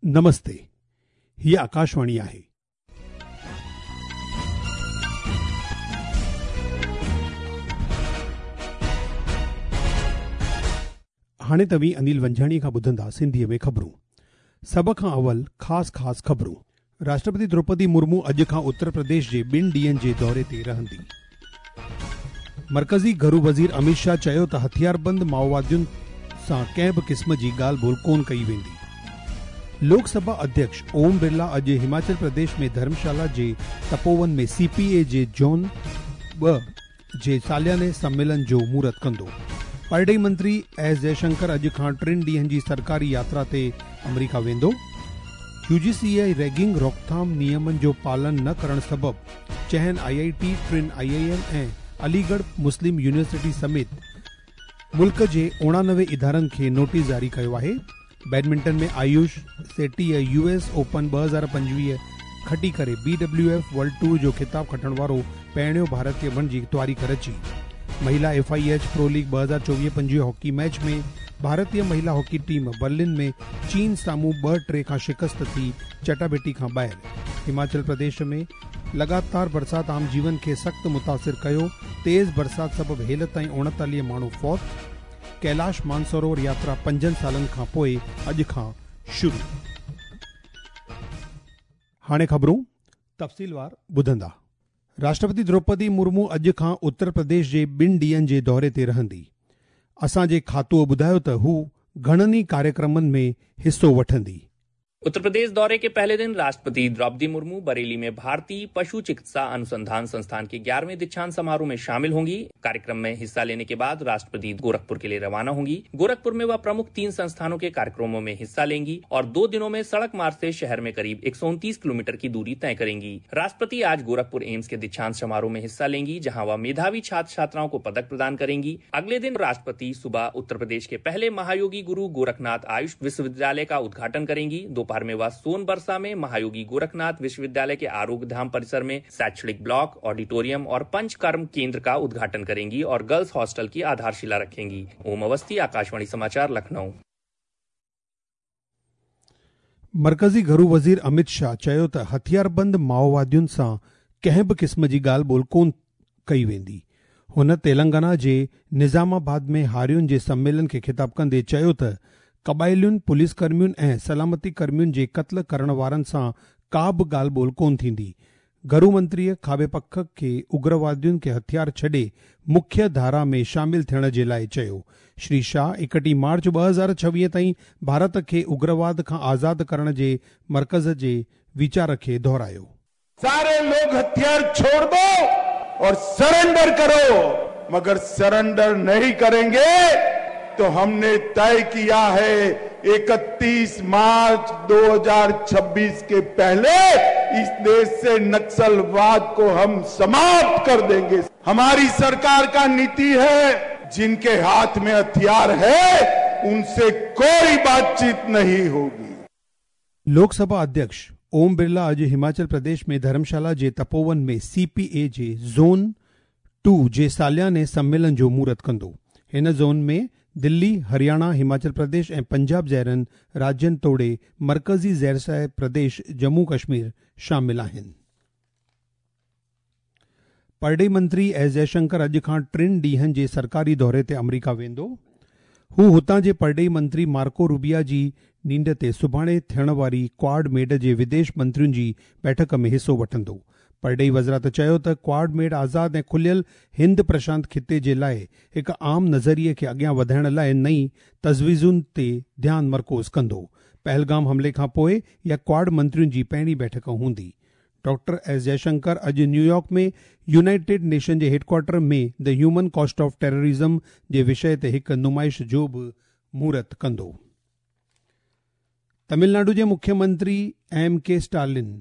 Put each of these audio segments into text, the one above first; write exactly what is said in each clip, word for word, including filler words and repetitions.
نمستي، هيء آڪاشواڻي آهي. هاڻي توهين انيل ونجهاڻي کان ٻڌندا سنڌيء ۾ خبرون. سڀ کان اول خاص خاص خبرون. راشٽرپتي دروپدي مرمو اڄ کان اتر پرديش جي ٻن ڏينهن جي دوري تي رهندي. مرڪزي گهرو وزير اميت شاهه چيو ته هٿياربند مائووادين سان ڪنهن به قسم جي ڳالهه ٻولهه ڪونه ڪئي ويندي. لوڪ سڀا اڌيڪش اوم برلا اڄ هماچل پرديش ۾ ڌرمشالا جي تپوون ۾ سي پي اي جي زون ٻه جي سالياني سميلن جو مهورت ڪندو. پرڏيهي منتري ايس جئشنڪر اڄ کان ٽن ڏينهن جي سرڪاري ياترا تي آمريڪا ويندو. يو جي سي ريگنگ روڪٿام نيمن جو پالن نه ڪرڻ سبب چئن آئي آئي ٽي، ٽن آئي I M ۽ Aligarh Muslim university سميت ملڪ جي اڻانوي ادارن کي نوٽيس جاري ڪيو آهي. بيڊمنٽن ۾ آيوش سيٽيء يو ايس اوپن ٻه هزار پنجويهه کٽي ڪري B W F world tour جو خطاب کٽڻ وارو پهريون ڀارتيه بڻجي تاريخ رچي. مهلا F I H pro league ٻه هزار چوويهه پنجويهه هاڪي ميچ ۾ ڀارتيه مهلا هاڪي ٽيم برلن ۾ چين سامهون ٻه ٽي کان شڪست ٿي چٽاڀيٽي کان ٻاهر. هماچل پرديش ۾ لڳاتار برسات عام جيون کي سخت متاثر ڪيو. تيز برسات سبب هيل تائين اڻيتاليهه ماڻهو فوت. ڪيلاش مانسروور ياترا پنجن سالن کان پوءِ اڄ کان شروع. هاڻي خبرون تفصيلوار ٻڌندا. راشٽرپتي دروپدي مرمو اڄ کان اتر پرديش جي ٻن ڏينهن جي دوري تي رهندي. اسان جي کاتوءَ ٻڌايو ته هو گهڻن ئي ڪاريڪرمن ۾ حصو وٺندي. उत्तर प्रदेश दौरे के पहले दिन राष्ट्रपति द्रौपदी मुर्मू बरेली में भारतीय पशु चिकित्सा अनुसंधान संस्थान के ग्यारहवें दीक्षांत समारोह में शामिल होंगी। कार्यक्रम में हिस्सा लेने के बाद राष्ट्रपति गोरखपुर के लिए रवाना होंगी। गोरखपुर में वह प्रमुख तीन संस्थानों के कार्यक्रमों में हिस्सा लेंगी और दो दिनों में सड़क मार्ग से शहर में करीब एक सौ उनतीस किलोमीटर की दूरी तय करेंगी। राष्ट्रपति आज गोरखपुर एम्स के दीक्षांत समारोह में हिस्सा लेंगी, जहाँ वह मेधावी छात्र छात्राओं को पदक प्रदान करेंगी। अगले दिन राष्ट्रपति सुबह उत्तर प्रदेश के पहले महायोगी गुरु गोरखनाथ आयुष विश्वविद्यालय का उद्घाटन करेंगी। दोपहर में वह सोनबरसा में महायोगी गोरखनाथ विश्वविद्यालय के आरोग्य धाम परिसर में शैक्षणिक ब्लॉक, ऑडिटोरियम और पंचकर्म केंद्र का उद्घाटन करेंगी और गर्ल्स हॉस्टल की आधारशिला रखेंगी। ओम अवस्थी, आकाशवाणी समाचार, लखनऊ। मरकज़ी घरू वज़ीर अमित शाह चयो त हथियारबंद माओवादियुनि सां कंहिं बि क़िस्म जी ॻाल्हि ॿोल कोन कई वेंदी। हुन तेलंगाना जे निज़ामाबाद में हारियुनि जे सम्मेलन खे ख़िताब कंदे चयो त क़बाइलियुनि, पुलिस कर्मियुनि ऐं सलामती कर्मियुनि जे क़त्ल करण वारनि सां का बि ॻाल्हि ॿोल कोन थींदी। घरू मंत्रीअ खाॿे पख खे उग्रवादियुनि खे हथियार छॾे मुख्य धारा में शामिल थियण जे लाइ चयो। श्री शाह एकटीह मार्च ٻه هزار ڇويهه ताईं भारत खे उग्रवाद खां आज़ाद करण जे मर्कज़ जे वीचार खे दोहरायो। सारे लोग हथियार छोड़ दो और सरेंडर करो, मगर सरेंडर नहीं करेंगे तो हमने तय किया है इकतीस मार्च दो हज़ार छब्बीस के पहले इस देश से नक्सलवाद को हम समाप्त कर देंगे। हमारी सरकार का नीति है जिनके हाथ में हथियार है उनसे कोई बातचीत नहीं होगी। लोकसभा अध्यक्ष ओम बिरला अॼु हिमाचल प्रदेश में धर्मशाला जे तपोवन में सी पी ए जे ज़ोन टू जे सालियाने सम्मेलन जो मुहूर्त कंदो। हिन ज़ोन में दिल्ली, हरियाणा, हिमाचल प्रदेश ऐं पंजाब जहिड़नि राज्यनि तोड़े मर्कज़ी ज़ेरसाय प्रदेश जम्मू कश्मीर शामिल आहिनि। परॾेही मंत्री एस जयशंकर अॼु खां टिनि ॾींहनि जे सरकारी दौरे ते अमरीका वेंदो। हू हुतां जे परॾेही मंत्री मार्को रूबिया जी नींड ते सुभाणे थियण वारी क्वाड मेड जे विदेश मंत्रियुनि जी बैठक में हिसो वठंदो। परॾेही वज़ारत चयो त क्वाड मेड आज़ाद ऐं खुलियल हिंद प्रशांत ख़िते जे लाइ हिकु आम नज़रिए खे अॻियां वधाइण लाइ नई तजवीज़ुनि ते ध्यानु मरकूज़ कंदो। पहलगाम हमले खां पोइ इहा क्वाड मंत्रियुनि जी पहिरीं बैठक हूंदी। डॉक्टर एस जयशंकर अॼु न्यूयॉर्क में यूनाइटेड नेशन जे headquarter में the human cost of terrorism जे विषय ते हिकु नुमाइश जो बि मुहूर्त कंदो। तमिलनाडु जे मुख्यमंत्री एम के स्टालिन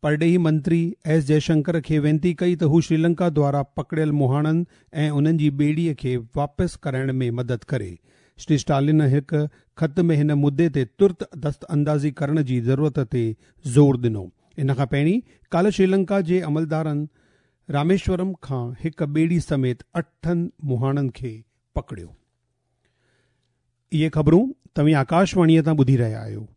परॾेही मंत्री एस जयशंकर खे विनती कई त हू श्रीलंका द्वारा पकड़ियल मुहाणनि ऐं उन्हनि जी ॿेड़ीअ खे वापसि कराइण में मदद करे। श्री स्टालिन हिकु ख़त में हिन मुद्दे ते तुर्त दस्त अंदाज़ी करण जी ज़रूरत ते ज़ोर ॾिनो। इन खां पहिरीं काल्ह श्रीलंका जे अमलदारनि रामेश्वरम खां हिकु ॿेड़ी समेत अठनि मुहाणनि खे पकड़ियो। इहे ख़बरूं तव्हीं आकाशवाणीअ तां ॿुधी रहिया आहियो।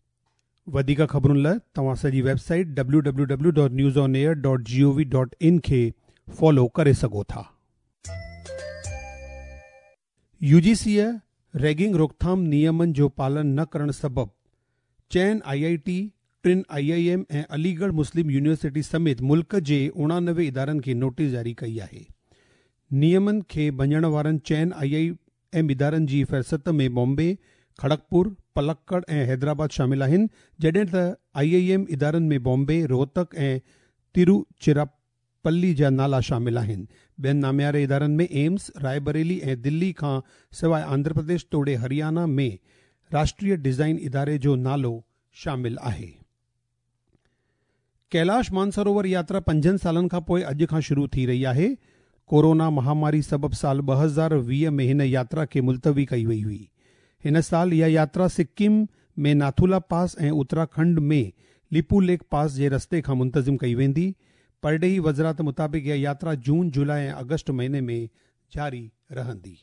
वधीक ख़बरुनि लाइ तव्हां असांजी website W W W dot news on air dot G O V dot in खे फॉलो करे सघो था। यूजीसीअ रैगिंग रोकथाम नियमनि जो पालन न करण सबबि चइनि I I T, टिनि I I M ऐं अलीगढ़ मुस्लिम यूनिवर्सिटी समेत मुल्क जे उणानवे इदारनि खे नोटिस जारी कई आहे। नियमनि खे भञण वारनि चइनि I I M इदारनि जी फ़हरिस्त में बॉम्बे, खड़गपुर, पलक्कड़ ऐं हैदराबाद शामिल आहिनि, जॾहिं त I I M इदारनि में बॉम्बे, रोहतक ऐं तिरुचिरापल्ली जा नाला शामिल आहिनि। ॿियनि नामियारे इदारनि में एम्स, रायबरेली ऐं दिल्ली खां सवाइ आंध्र प्रदेश तोड़े हरियाणा में राष्ट्रीय डिज़ाइन इदारे जो नालो शामिल आहे। कैलाश मानसरोवर यात्रा पंजनि सालनि खां पोइ अॼु खां शुरू थी रही आहे। कोरोना महामारी सबबि साल ॿ हज़ार वीह में हिन यात्रा खे मुलतवी कई वई हुई। हिन साल इहा यात्रा सिक्किम में नाथुला पास ऐं उत्तराखंड में लिपू लेक पास जे रस्ते खां मुंतज़िम कई वेंदी। परॾेही वज़ारत मुताबिक़ इहा यात्रा जून, जुलाई ऐं अगस्त महीने में जारी रहंदी।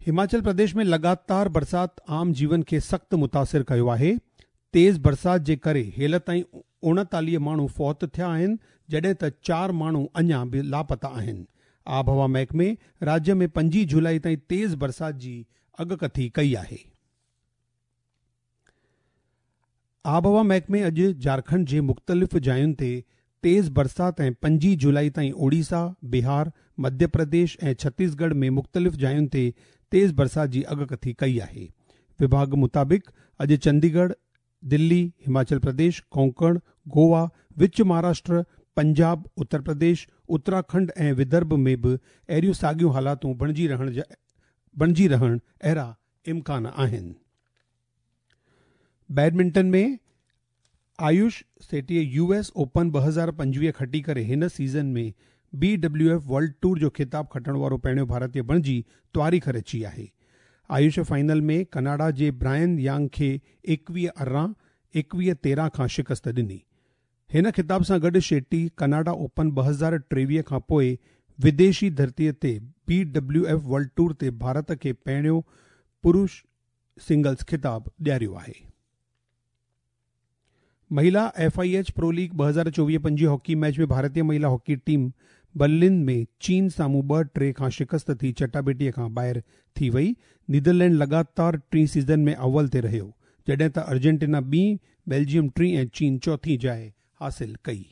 हिमाचल प्रदेश में लगातार बरसात आम जीवन खे सख़्तु मुतासिर कयो आहे। तेज़ बरसात जे करे हेल ताईं उणेतालीह माण्हू फौत थिया आहिनि, जॾहिं त चारि माण्हू अञा बि लापता आहिनि। आबहवा महकमे राज्य में पंजी जुलाई ताईं तेज़ बरसात जी अॻकथी कई आहे। आबहवा महकमे अॼु झारखंड जे मुख़्तलिफ़ जायुनि ते तेज़ बरसात ऐं पंजी जुलाई ताईं ओडिशा, बिहार, मध्य प्रदेश ऐं छत्तीसगढ़ में मुख़्तलिफ़ जायुनि ते तेज़ बरसात जी अॻकथी कई आहे। विभाग मुताबिक़ अॼु चंडीगढ़, दिल्ली, हिमाचल प्रदेश, कोंकण, गोवा, विच महाराष्ट्र, पंजाब, उत्तर प्रदेश, उत्तराखंड ऐं विदर्भ में बि अहिड़ियूं साॻियूं हालातूं बणिजी रहण बणिजी रहण अहिड़ा इम्कान आहिनि। बैडमिंटन में आयुष सेठीअ यू एस ओपन ॿ हज़ार पंजवीह खटी करे हिन सीज़न में B W F world tour जो ख़िताब खटण वारो पहिरियों भारतीय बणिजी तारीख़ रची आहे। आयुष फाइनल में कनाडा जे ब्रायन यांग खे एकवीह अरिड़हं, एकवीह तेरहं खां शिकस्त ॾिनी। हिन ख़िताब सां गॾु शेट्टी कनाडा ओपन ॿ हज़ार टेवीह खां पोइ विदेशी धरतीअ ते B W F world tour ते भारत खे पहिरियों पुरुष सिंगल्स ख़िताब ॾियारियो आहे। महिला F I H pro league ॿ हज़ार चोवीह पंजवीह हॉकी मैच में भारतीय महिला हॉकी टीम बर्लिन में चीन साम्हूं ॿ टे खां शिकस्त थी चटाबेटीअ खां ॿाहिरि थी वई। नीदरलैंड लगातार टीं सीज़न में अव्वल ते रहियो, जॾहिं त अर्जेंटीना ॿी, बेल्जियम टीं ऐं चीन चौथी जाइ हासिल कई।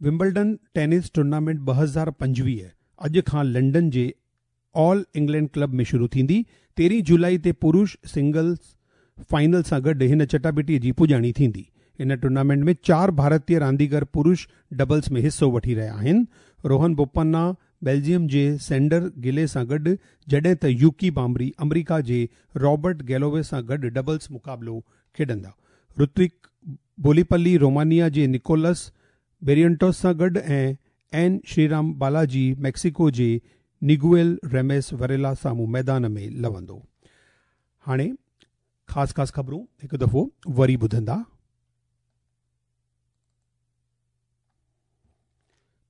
विम्बलडन टेनिस टूर्नामेंट ॿ हज़ार पंजवीह अॼु खां लंडन जे ऑल इंग्लैंड क्लब में शुरू थींदी। तेरहीं जुलाई ते पुरुष सिंगल्स फाइनल सां गॾु हिन चटाबेटीअ जी पुॼाणी थींदी। इन टूर्नामेंट में चारि भारतीय रांदीगर पुरुष डबल्स में हिसो वठी रहिया आहिनि। रोहन बोपन्ना बेल्जियम जे सेंडर गिले सां गॾु, जॾहिं त यूकी बामरी अमरीका जे रॉबर्ट गैलोवे सां गॾु डबल्स मुक़ाबिलो खेॾंदा। ऋत्विक बोलीपल्ली रोमानिया जे निकोलस बेरियंटोस सां गॾु ऐं एन श्रीराम बालाजी मैक्सिको जे निगुएल रेमेस वरेला साम्हूं मैदान में लवंदो। हाणे ख़ासि ख़ासि ख़बरूं हिकु दफ़ो वरी ॿुधंदा।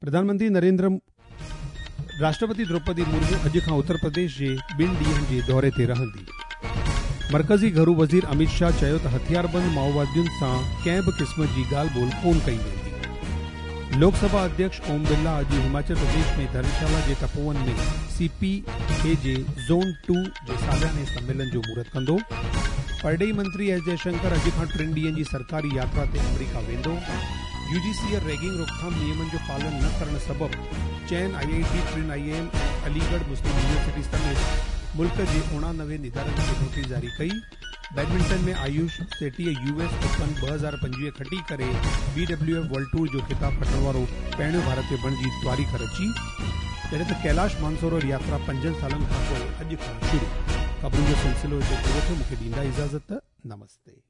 प्रधानमंत्री नरेंद्र राष्ट्रपति द्रौपदी मुर्मू अॼु खां उत्तर प्रदेश जे ॿिनि ॾींहनि जे दौरे ते रहंदी। मरकज़ी घरू वज़ीर अमित शाह चयो त हथियारबंद माओवादियुनि सां कंहिं बि क़िस्म जी ॻाल्हि ॿोल कोन कई वेंदी। लोकसभा अध्यक्ष ओम बिरला अॼु हिमाचल प्रदेश में धर्मशाला जे तपोवन में सी पी ए जे ज़ोन टू जे सालाने सम्मेलन जो मुहूर्त कंदो। परॾेही मंत्री एस जयशंकर अॼु खां टिनि ॾींहनि जी सरकारी यात्रा ते अमरीका वेंदो। यूजीसीअ रैगिंग रोकथाम नियमनि जो पालन न करण सबबि चइनि I I T, टिनि I M ऐं अलीगढ़ मुस्लिम यूनिवर्सिटी समेत मुल्क जे उणानवे इदारनि खे नोटिस जारी कई। बैडमिंटन में आयुष सेठीअ यू एस ओपन ॿ हज़ार पंजवीह खटी करे B W F world tour जो ख़िताब खटण वारो पहिरियों भारतीय बणिजी तारीख़ रची। जॾहिं त कैलाश मानसरोवर यात्रा पंजनि सालनि खां पोइ अॼु खां शुरू। ख़बरुनि जो सिलसिलो हिते पूरो थियो। मूंखे ॾींदा इजाज़त। नमस्ते।